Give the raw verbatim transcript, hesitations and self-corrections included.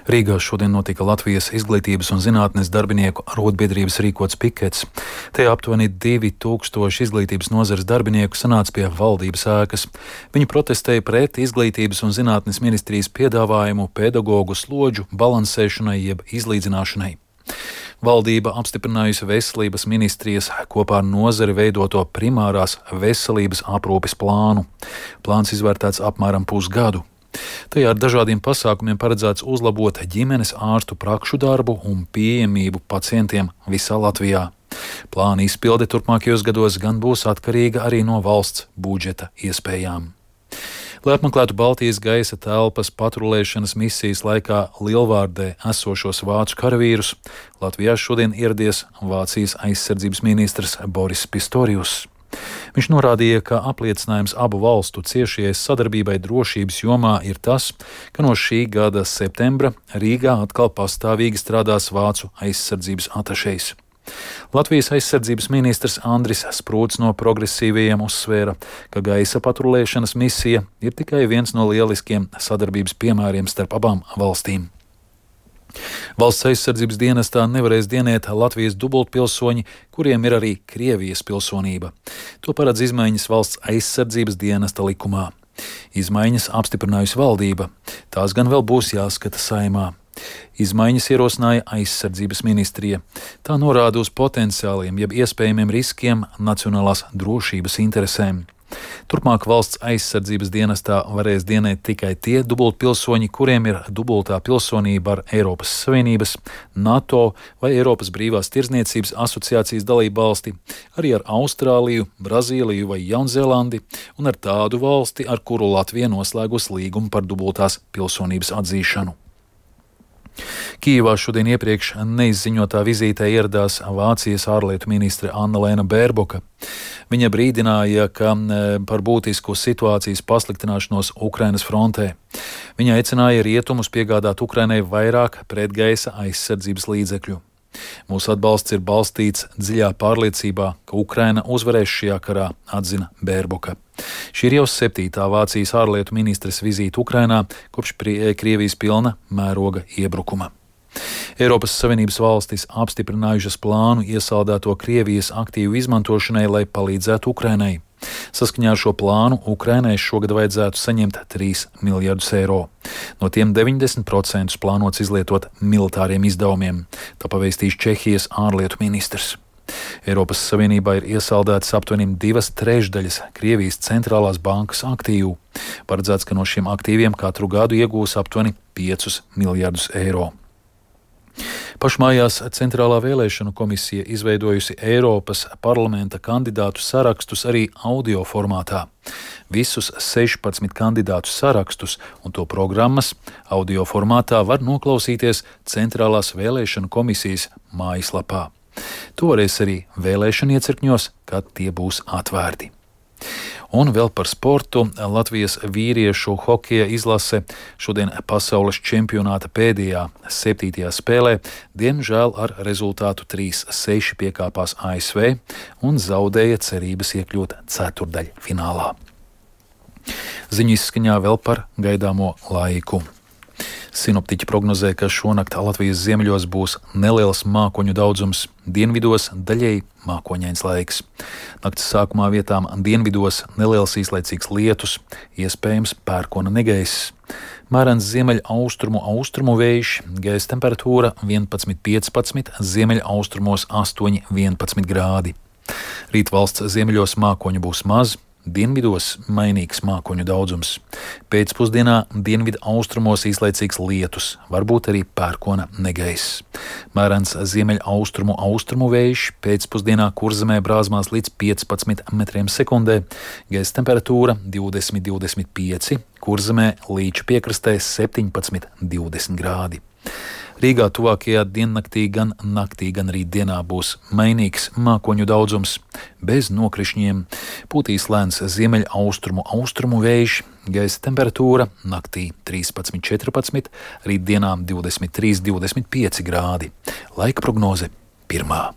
Rīgā šodien notika Latvijas izglītības un zinātnes darbinieku arotbiedrības rīkots pikets. Te aptuveni divi tūkstoši izglītības nozares darbinieku sanāca pie valdības ēkas. Viņi protestēja pret izglītības un zinātnes ministrijas piedāvājumu pedagogu slodžu balansēšanai jeb izlīdzināšanai. Valdība apstiprinājusi veselības ministrijas kopā ar nozari veidoto primārās veselības aprūpes plānu. Plāns izvērtēts apmēram pusgadu. Tajā ar dažādiem pasākumiem paredzēts uzlabot ģimenes ārstu prakšu darbu un pieejamību pacientiem visā Latvijā. Plāna izpilde turpmākajos gados gan būs atkarīga arī no valsts budžeta iespējām. Lai apmeklētu Baltijas gaisa telpas patrulēšanas misijas laikā Lielvārdē esošos vācu karavīrus, Latvijā šodien ieradies Vācijas aizsardzības ministrs Boris Pistorius. Viņš norādīja, ka apliecinājums abu valstu ciešajai sadarbībai drošības jomā ir tas, ka no šī gada septembra Rīgā atkal pastāvīgi strādās vācu aizsardzības atašejs. Latvijas aizsardzības ministrs Andris Sprūts no progresīvajiem uzsvēra, ka gaisa patrulēšanas misija ir tikai viens no lieliskiem sadarbības piemēriem starp abām valstīm. Valsts aizsardzības dienestā nevarēs dienēt Latvijas dubultpilsoņi, kuriem ir arī Krievijas pilsonība. To paredz izmaiņas valsts aizsardzības dienesta likumā. Izmaiņas apstiprinājusi valdība. Tās gan vēl būs jāskata Saeimā. Izmaiņas ierosināja aizsardzības ministrija. Tā norāda uz potenciāliem jeb iespējamiem riskiem nacionālās drošības interesēm. Turpmāk valsts aizsardzības dienestā varēs dienēt tikai tie dubultpilsoņi, kuriem ir dubultā pilsonība ar Eiropas Savienības, NATO vai Eiropas brīvās tirdzniecības asociācijas dalību valsti, arī ar Austrāliju, Brazīliju vai Jaunzēlandi un ar tādu valsti, ar kuru Latvija noslēgusi līgumu par dubultās pilsonības atzīšanu. Kijevā šodien iepriekš neizziņotā vizītē ieradās Vācijas ārlietu ministre Annalēna Bērboka. Viņa brīdināja, ka par būtisku situācijas pasliktināšanos Ukrainas frontē. Viņa aicināja rietumus piegādāt Ukrainai vairāk pretgaisa aizsardzības līdzekļu. Mūsu atbalsts ir balstīts dziļā pārliecībā, ka Ukraina uzvarēs šajā karā, atzina Bērboka. Šī ir jau septītā Vācijas ārlietu ministres vizīte Ukrainā kopš Krievijas pilna mēroga iebrukuma. Eiropas Savienības valstis apstiprinājušas plānu iesaldēto Krievijas aktīvu izmantošanai, lai palīdzētu Ukrainai. Saskaņā ar šo plānu Ukrainai šogad vajadzētu saņemt trīs miljardus eiro. No tiem deviņdesmit procenti plānots izlietot militāriem izdevumiem, tā pavēstīs Čehijas ārlietu ministrs. Eiropas Savienībā ir iesaldētas aptuveni divas trešdaļas Krievijas centrālās bankas aktīvu. Paredzēts, ka no šiem aktīviem katru gadu iegūs aptuveni piecus miljardus eiro. Pašmājās Centrālā vēlēšanu komisija izveidojusi Eiropas parlamenta kandidātu sarakstus arī audio formātā. Visus sešpadsmit kandidātu sarakstus un to programmas audio formātā var noklausīties Centrālās vēlēšanu komisijas mājaslapā. To varēs arī vēlēšanu iecirkņos, kad tie būs atvērti. Un vēl par sportu. Latvijas vīriešu hokeja izlase šodien pasaules čempionāta pēdējā septītajā spēlē diemžēl ar rezultātu trīs seši piekāpās A S V un zaudēja cerības iekļūt ceturtdaļfinālā. Ziņu izskaņā vēl par gaidāmo laiku. Sinoptiķi prognozē, ka šonakt Latvijas ziemeļos būs neliels mākoņu daudzums, dienvidos daļēji mākoņains laiks. Nakts sākumā vietām dienvidos neliels īslaicīgs lietus, iespējams pērkona negaiss. Mērens ziemeļa austrumu austrumu vējš, gaisa temperatūra vienpadsmit piecpadsmit, ziemeļa austrumos astoņi vienpadsmit grādi. Rīt valsts ziemeļos mākoņu būs maz, dienvidos mainīgs mākoņu daudzums. Pēcpusdienā dienvidu austrumos īslaicīgs lietus, varbūt arī pērkona negaiss. Mērens ziemeļa austrumu austrumu vējš, pēcpusdienā Kurzemē brāzmās līdz piecpadsmit metriem sekundē, gaisa temperatūra divdesmit divdesmit pieci, Kurzemē līča piekrastē septiņpadsmit divdesmit grādi. Rīgā tuvākajā diennaktī gan naktī, gan rītdienā būs mainīgs mākoņu daudzums, bez nokrišņiem, pūtīs lēns ziemeļa austrumu austrumu vējš, gaisa temperatūra naktī trīspadsmit četrpadsmit, rītdienā divdesmit trīs divdesmit pieci grādi. Laika prognoze pirmā.